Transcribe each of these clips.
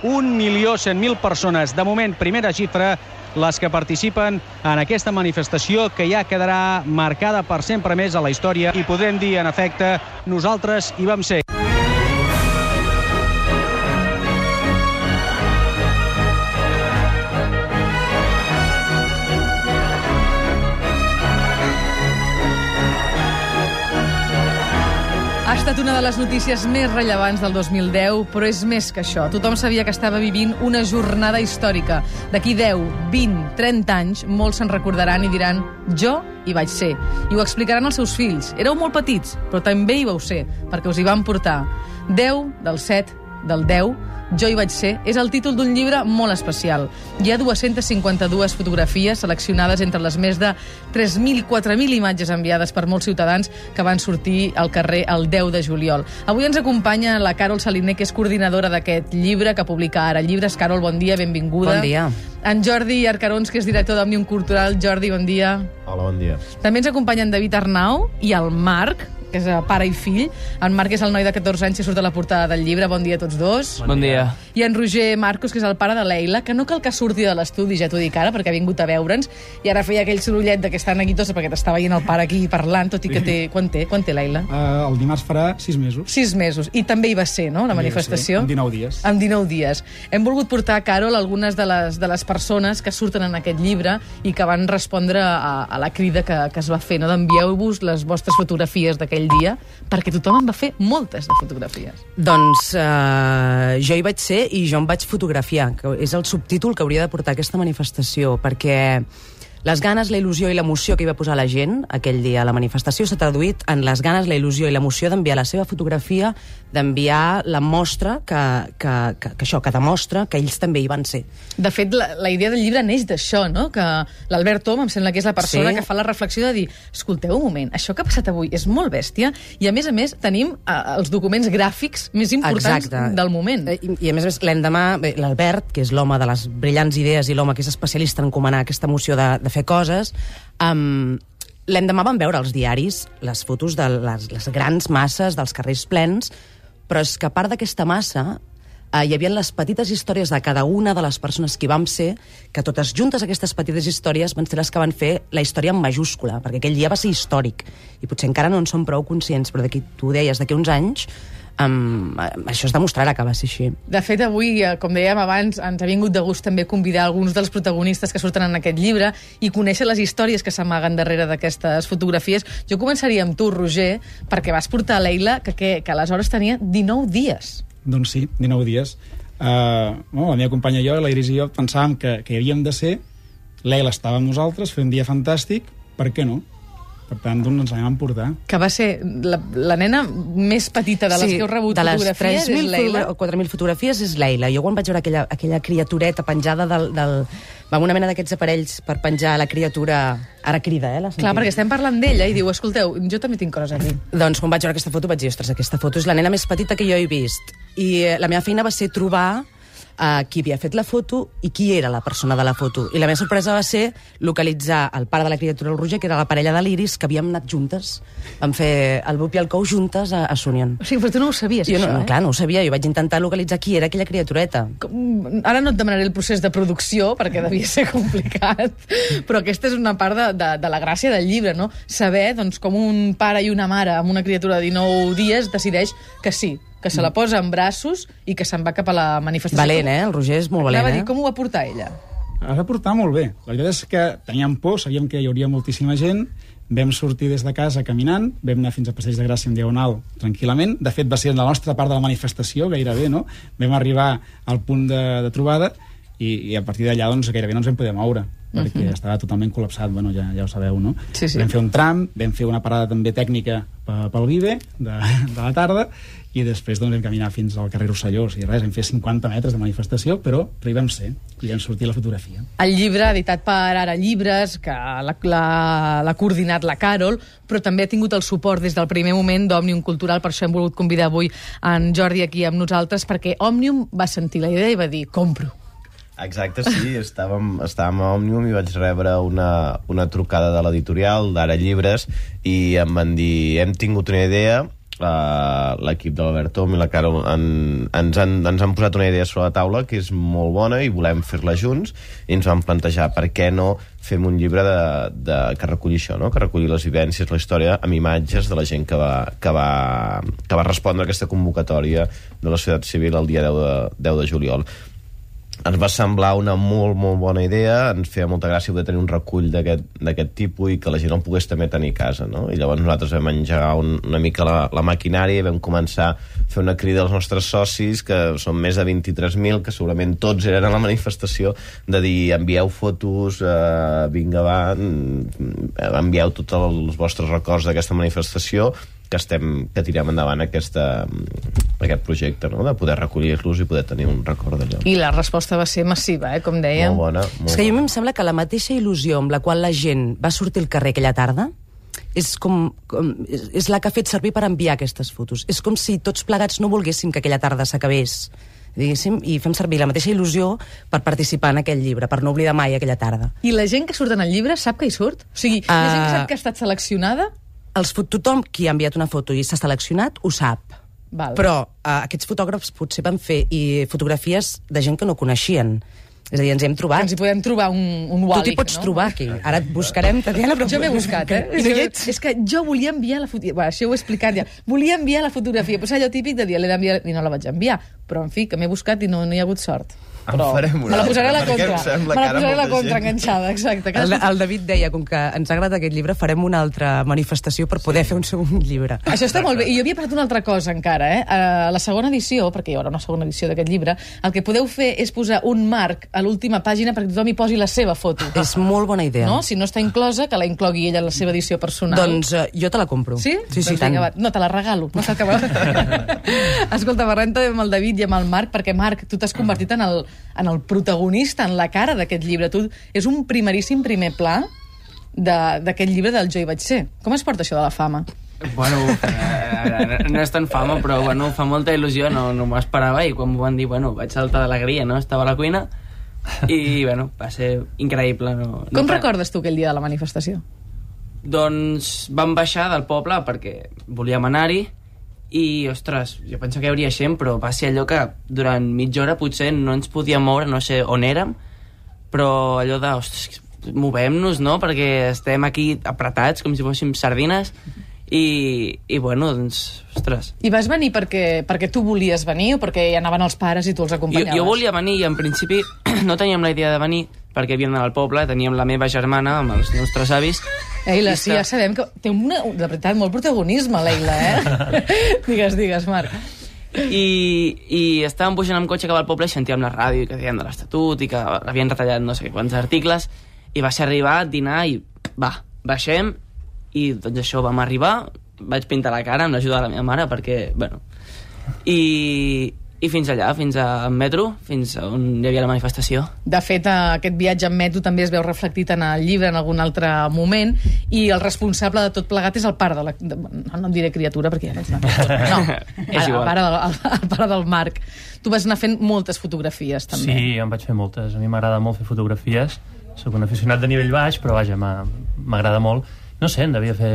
1.100.000 persones. De moment, primera xifra, les que participen en aquesta manifestació que ja quedarà marcada per sempre més a la història i podrem dir, en efecte, nosaltres hi vam ser. Ha estat una de les notícies més rellevants del 2010, però és més que això. Tothom sabia que estava vivint una jornada històrica. D'aquí 10, 20, 30 anys, molts se'n recordaran i diran «Jo hi vaig ser». I ho explicaran als seus fills. Éreu molt petits, però també hi vau ser, perquè us hi van portar. 10 del 7 del 10, Jo hi vaig ser, és el títol d'un llibre molt especial. Hi ha 252 fotografies seleccionades entre les més de 3.000 i 4.000 imatges enviades per molts ciutadans que van sortir al carrer el 10 de juliol. Avui ens acompanya la Carol Saliner, que és coordinadora d'aquest llibre, que publica Ara Llibres. Carol, bon dia, benvinguda. Bon dia. En Jordi Arcarons, que és director d'Òmnium Cultural. Jordi, bon dia. Hola, bon dia. També ens acompanyen David Arnau i el Marc, que és pare i fill. En Marc és el noi de 14 anys que surt a la portada del llibre. Bon dia a tots dos. Bon dia. I en Roger Marcos, que és el pare de Leila, que no cal que surti de l'estudi, ja t'ho dic ara, perquè ha vingut a veure'ns, i ara feia aquell sorollet de que estan aquí tots, perquè t'està veient el pare aquí parlant, tot i que té... Quan té Leila? El dimarts farà 6 mesos. 6 mesos. I també hi va ser, no?, la manifestació? En 19 dies. En 19 dies. Hem volgut portar, Carol, algunes de les persones que surten en aquest llibre i que van respondre a la crida que es va fer, no?, d'envieu-vos les vostres fotografies d'aquell dia, perquè tothom en va fer moltes de fotografies. Doncs jo hi vaig ser i jo em vaig fotografiar, que és el subtítol que hauria de portar aquesta manifestació, perquè les ganes, la il·lusió i l'emoció que hi va posar la gent aquell dia a la manifestació s'ha traduït en les ganes, la il·lusió i l'emoció d'enviar la seva fotografia, d'enviar la mostra que demostra que ells també hi van ser. De fet, la idea del llibre neix d'això, no?, que l'Albert Tom, em sembla que és la persona que fa la reflexió de dir, escolteu un moment, això que ha passat avui és molt bèstia, i a més tenim els documents gràfics més importants del moment. I a més, l'endemà, l'Albert, que és l'home de les brillants idees i l'home que és especialista en encomanar aquesta emoció de fer coses, l'endemà vam veure als diaris les fotos de les grans masses dels carrers plens, però és que a part d'aquesta massa hi havia les petites històries de cada una de les persones que hi vam ser, que totes juntes aquestes petites històries van ser les que van fer la història en majúscula, perquè aquell dia va ser històric, i potser encara no en som prou conscients, però tu ho deies, d'aquí uns anys això es demostrarà que va ser així. De fet, avui, com dèiem abans, ens ha vingut de gust també convidar alguns dels protagonistes que surten en aquest llibre i conèixer les històries que s'amaguen darrere d'aquestes fotografies. Jo començaria amb tu, Roger, perquè vas portar a Leila, que aleshores tenia 19 dies. Doncs sí, 19 dies. La meva companya i jo, la Iris i jo, pensàvem que hi havíem de ser. Leila estava amb nosaltres, feia un dia fantàstic, per què no? Per tant, doncs ens l'anem a portar. Que va ser la nena més petita de les que heu rebut fotografies, és Leila? De les 3.000 o 4.000 fotografies és Leila. Jo quan vaig veure aquella criatureta penjada amb una mena d'aquests aparells per penjar la criatura... Ara crida, Clar, perquè estem parlant d'ella i diu, escolteu, jo també tinc coses a dir. Doncs quan vaig veure aquesta foto vaig dir, ostres, aquesta foto és la nena més petita que jo he vist. I la meva feina va ser trobar qui havia fet la foto i qui era la persona de la foto. I la meva sorpresa va ser localitzar el pare de la criatura, el Roger, que era la parella de l'Iris, que havíem anat juntes. Vam fer el bup i el cou juntes a Sunyon. O sigui, però tu no ho sabies, això, eh? Clar, no ho sabia. Jo vaig intentar localitzar qui era aquella criatureta. Ara no et demanaré el procés de producció, perquè devia ser complicat, però aquesta és una part de la gràcia del llibre, no? Saber, doncs, com un pare i una mare amb una criatura de 19 dies decideix que sí, que se la posa en braços i que se'n va cap a la manifestació. Valent, el Roger és molt valent, Va dir, com ho va portar ella? La va portar molt bé. La veritat és que teníem por, sabíem que hi hauria moltíssima gent, vam sortir des de casa caminant, vam anar fins a Passeig de Gràcia en diagonal tranquil·lament. De fet, va ser la nostra part de la manifestació, gairebé, no? Vam arribar al punt de trobada i a partir d'allà doncs, gairebé no ens vam poder moure, perquè estava totalment col·lapsat, bueno, ja ho sabeu, no? Sí. Vam fer un tram, vam fer una parada també tècnica pel Vive de la tarda, i després doncs, vam caminar fins al carrer Rosselló, o sigui, res, vam fer 50 metres de manifestació, però hi vam ser, i vam sortir la fotografia. El llibre, editat per Ara Llibres, que l'ha coordinat la Carol, però també ha tingut el suport des del primer moment d'Òmnium Cultural, per això hem volgut convidar avui en Jordi aquí amb nosaltres, perquè Òmnium va sentir la idea i va dir, compro. Exacte, sí, estàvem a Òmnium i vaig rebre una trucada de l'editorial d'Ara Llibres i em van dir, hem tingut una idea, l'equip de l'Albert Tom i la Caro ens han posat una idea sobre la taula que és molt bona i volem fer-la junts, i ens vam plantejar per què no fem un llibre que reculli això, no? Que reculli les vivències, la història, amb imatges de la gent que va respondre a aquesta convocatòria de la societat civil el dia 10 de juliol. Ens va semblar una molt, molt bona idea, ens feia molta gràcia poder tenir un recull d'aquest tipus i que la gent el pogués també tenir a casa, no? I llavors nosaltres vam engegar una mica la maquinària i vam començar a fer una crida als nostres socis, que són més de 23.000, que segurament tots eren a la manifestació, de dir, envieu fotos, vinga, va, envieu tots els vostres records d'aquesta manifestació, que tirem endavant aquest projecte, no? De poder recollir-los i poder tenir un record d'allò. I la resposta va ser massiva, com dèiem. Molt bona. És que a mi em sembla que la mateixa il·lusió amb la qual la gent va sortir al carrer aquella tarda és la que ha fet servir per enviar aquestes fotos. És com si tots plegats no volguéssim que aquella tarda s'acabés, diguéssim, i fem servir la mateixa il·lusió per participar en aquell llibre, per no oblidar mai aquella tarda. I la gent que surt en el llibre sap que hi surt? O sigui, la gent que sap que ha estat seleccionada? Tothom qui ha enviat una foto i s'ha seleccionat ho sap. Val. Però aquests fotògrafs potser van fer fotografies de gent que no coneixien. És a dir, ens hem trobat. Ens hi podem trobar un Wally. Tu t'hi pots trobar aquí. Ara et buscarem, Tatiana, però... Jo m'he buscat, És que jo volia enviar la fotografia. Això ho he explicat ja. Volia enviar la fotografia, però és allò típic de dir, l'he d'enviar i no la vaig enviar. Però, en fi, que m'he buscat i no hi ha hagut sort. Però farem una. Me la posaré a la Perquè contra. em sembla Me la que ara posaré a la molta contra, gent- enganxada, exacte. El David deia, com que ens ha agradat aquest llibre, farem una altra manifestació per poder fer un segon llibre. Això està molt bé. I jo havia pensat una altra cosa encara, A la segona edició, perquè hi haurà una segona edició d'aquest llibre, el que podeu fer és posar un marc a l'última pàgina perquè tothom hi posi la seva foto. És molt bona idea. No? Si no està inclosa, que la inclogui ella en la seva edició personal. Doncs jo te la compro. Sí? Sí, Doncs tant. vinga, va. No, te la regalo. No cal que Escolta, parlem també amb el David i amb el Marc, perquè, Marc, tu t'has convertit en el protagonista, en la cara d'aquest llibre. Tu és un primeríssim primer pla d'aquest llibre del Jo hi vaig ser. Com es porta això de la fama? Bueno, no és tan fama, però bueno, fa molta il·lusió, no m'ho esperava, i quan m'ho van dir, bueno, vaig saltar d'alegria, no? Estava a la cuina i, bueno, va ser increïble. Com recordes tu aquell dia de la manifestació? Doncs vam baixar del poble perquè volíem anar-hi i, ostres, jo pensava que hi hauria gent, però va ser allò que durant mitja hora potser no ens podíem moure, no sé on érem, però allò de, ostres, movem-nos, no?, perquè estem aquí apretats com si fóssim sardines. I bueno, doncs, ostres. I vas venir perquè tu volies venir o perquè hi anaven els pares i tu els acompanyaves? Jo volia venir i en principi no teníem la idea de venir perquè havíem d'anar al poble, teníem la meva germana amb els nostres avis. Leila, sí, ja sabem que té de veritat molt protagonisme, Leila, Digues, Marc. I estàvem pujant amb cotxe cap al poble i sentíem la ràdio que deien de l'Estatut i que havien retallat no sé quants articles, i va ser arribar, dinar i baixem. I doncs això, vam arribar, vaig pintar la cara amb l'ajuda de la meva mare perquè, bueno, i fins allà, fins al metro, fins on hi havia la manifestació. De fet, aquest viatge en metro també es veu reflectit en el llibre en algun altre moment, i el responsable de tot plegat és el pare de la... No em diré criatura perquè ja no és una criatura. No, És igual. el pare del Marc. Tu vas anar fent moltes fotografies, també. Sí, em vaig fer moltes. A mi m'agrada molt fer fotografies. Soc un aficionat de nivell baix, però vaja, m'agrada molt. No sé, en devia fer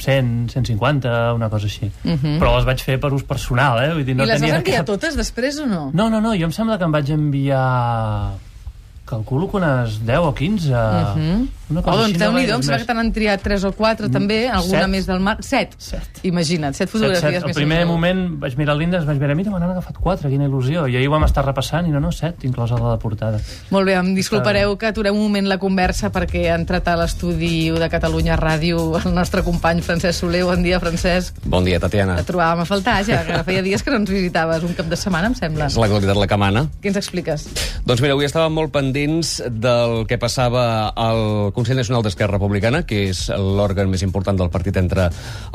100, 150, una cosa així. Però les vaig fer per ús personal, Vull dir, no I les vas tenia enviar totes després o no? No, jo em sembla que em vaig enviar... Calculo que unes 10 o 15. Una cosa Doncs així, Déu-n'hi-do, em més. sembla que t'han triat 3 o 4 també, alguna 7. més del Marc. 7. Imagina't, 7 fotografies El més. primer moment vaig mirar l'índex, vaig veure, mira, me n'han agafat 4, quina il·lusió. I ahir ho vam estar repassant i no, 7, inclosa la de portada. Molt bé, em disculpareu que aturem un moment la conversa perquè ha entrat a l'estudi de Catalunya Ràdio el nostre company Francesc Soler. Bon dia, Francesc. Bon dia, Tatiana. Et trobàvem a faltar ja, que feia dies que no ens visitaves, un cap de setmana, em sembla. És la qualitat la que mana. Què ens expliques? Doncs mira, avui estàvem molt pendents del que passava al Consell Nacional d'Esquerra Republicana, que és l'òrgan més important del partit entre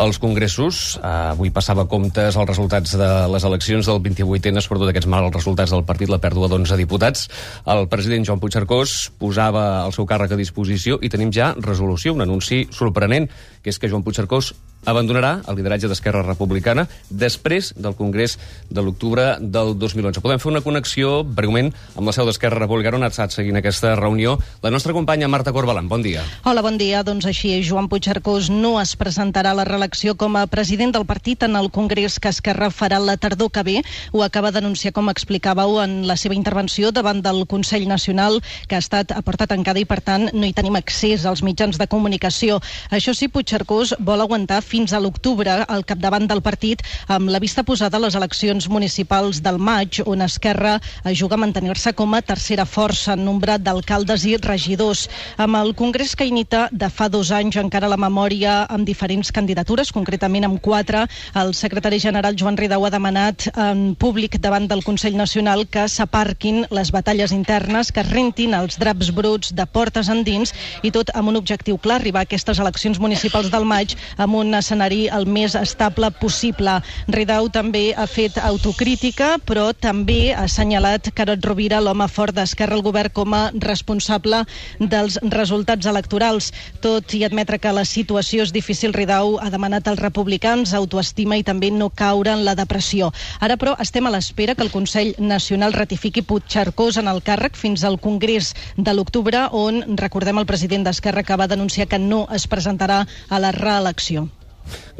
els congressos. Avui passava comptes els resultats de les eleccions del 28ena, sobretot aquests mals resultats del partit, la pèrdua d'11 diputats. El president Joan Puigcercós posava el seu càrrec a disposició i tenim ja resolució, un anunci sorprenent, que és que Joan Puigcercós abandonarà el lideratge d'Esquerra Republicana després del Congrés de l'octubre del 2011. Podem fer una connexió, breument, amb la seu d'Esquerra Republicana, on ha estat seguint aquesta reunió la nostra companya Marta Corbalan. Bon dia. Hola, bon dia. Doncs així és, Joan Puigcercós no es presentarà a la reelecció com a president del partit en el Congrés que Esquerra farà la tardor que ve. Ho acaba d'anunciar, com explicàveu, en la seva intervenció davant del Consell Nacional, que ha estat a porta tancada i, per tant, no hi tenim accés als mitjans de comunicació. Això sí, Puigcercós vol aguantar fins a l'octubre al capdavant del partit, amb la vista posada a les eleccions municipals del maig, on Esquerra juga a mantenir-se com a tercera força en nombre d'alcaldes i regidors. Amb el Congrés que imita de fa 2 anys encara la memòria amb diferents candidatures, concretament amb 4, el secretari general Joan Ridao ha demanat en públic davant del Consell Nacional que s'aparquin les batalles internes, que es rentin els draps bruts de portes endins, i tot amb un objectiu clar, arribar a aquestes eleccions municipals del maig amb un escenari el més estable possible. Ridao també ha fet autocrítica, però també ha assenyalat Carod Rovira, l'home fort d'Esquerra al govern, com a responsable dels resultats electorals. Tot i admetre que la situació és difícil, Ridao ha demanat als republicans autoestima i també no caure en la depressió. Ara, però, estem a l'espera que el Consell Nacional ratifiqui Puigcercós en el càrrec fins al Congrés de l'octubre, on, recordem, el president d'Esquerra acaba d'anunciar que no es presentarà a la reelecció.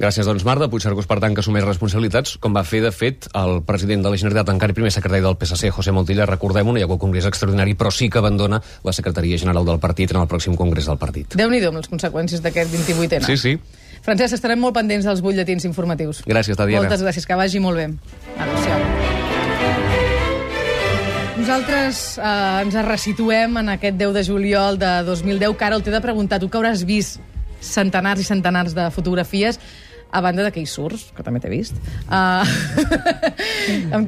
Gràcies, doncs, Marta. Puigcercós, per tant, que assumeix responsabilitats, com va fer, de fet, el president de la Generalitat, encara primer secretari del PSC, José Montilla. Recordem-ho, no hi ha hagut congrés extraordinari, però sí que abandona la secretaria general del partit en el pròxim congrés del partit. Déu-n'hi-do amb les conseqüències d'aquest 28ena. Sí, sí. Francesc, estarem molt pendents dels butlletins informatius. Gràcies, Tatiana. Moltes gràcies, que vagi molt bé. Adéu-siau. Nosaltres ens resituem en aquest 10 de juliol de 2010. Carol, t'he de preguntar, tu que hauràs vist centenars i centenars de fotografies, a banda de que hi surts, que també t'he vist.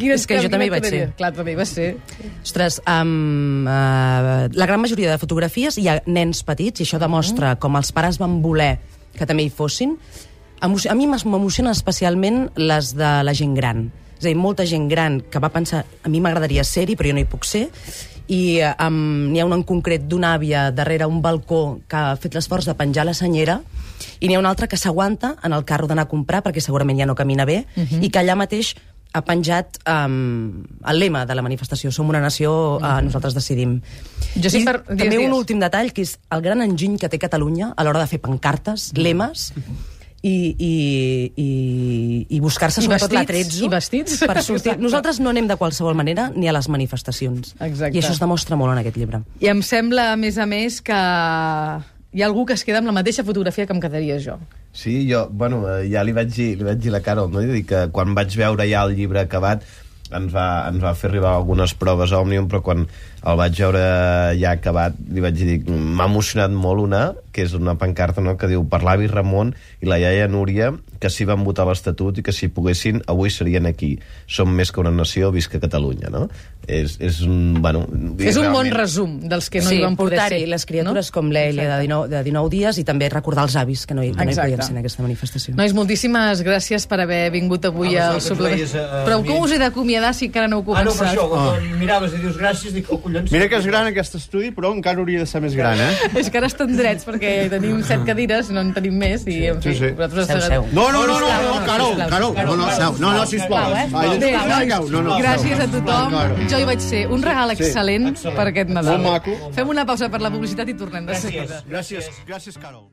És que jo també hi vaig ser. Clar, també hi vas ser. Ostres, la gran majoria de fotografies hi ha nens petits, i això demostra com els pares van voler que també hi fossin. A mi m'emocionen especialment les de la gent gran. És a dir, molta gent gran que va pensar, a mi m'agradaria ser-hi, però jo no hi puc ser, i n'hi ha una en concret d'una àvia darrere un balcó que ha fet l'esforç de penjar la senyera, i n'hi ha una altra que s'aguanta en el carro d'anar a comprar perquè segurament ja no camina bé, i que allà mateix ha penjat el lema de la manifestació: som una nació, nosaltres decidim. També un últim detall, que és el gran enginy que té Catalunya a l'hora de fer pancartes, lemes, i buscar-se sobretot l'atrezzo per sortir. Nosaltres no anem de qualsevol manera ni a les manifestacions. Exacte. I això es demostra molt en aquest llibre. I em sembla, a més, que hi ha algú que es queda amb la mateixa fotografia que em quedaria jo. Sí, jo, bueno, ja li vaig dir a la Carol, no? Dir que quan vaig veure ja el llibre acabat ens va fer arribar algunes proves a Òmnium, però quan el vaig veure ja acabat li vaig dir, m'ha emocionat molt una, que és una pancarta, no?, que diu: per l'avi Ramon i la iaia Núria, que sí van votar l'Estatut i que si poguessin avui serien aquí. Som més que una nació, visca Catalunya, no? És un bon resum dels que no hi van poder ser. Sí, les criatures, no? Com l'Elia de 19 dies, i també recordar els avis que no hi podien ser en aquesta manifestació. Nois, moltíssimes gràcies per haver vingut avui al suplement. Però com us he d'acomiadar si encara no heu començat? No, per això, quan miraves i dius gràcies, dic, oh, collons. Mira que és gran aquest estudi, però encara hauria de ser més gran, És que ara estan drets, perquè tenim 7 cadires, no en tenim més, i en fi... Seu. No, Carol, no, sisplau. Gràcies a tothom. Jo hi vaig ser. Un regal excel·lent per aquest Nadal. Molt maco. Fem una pausa per la publicitat i tornem de seguida. Gràcies, Carol.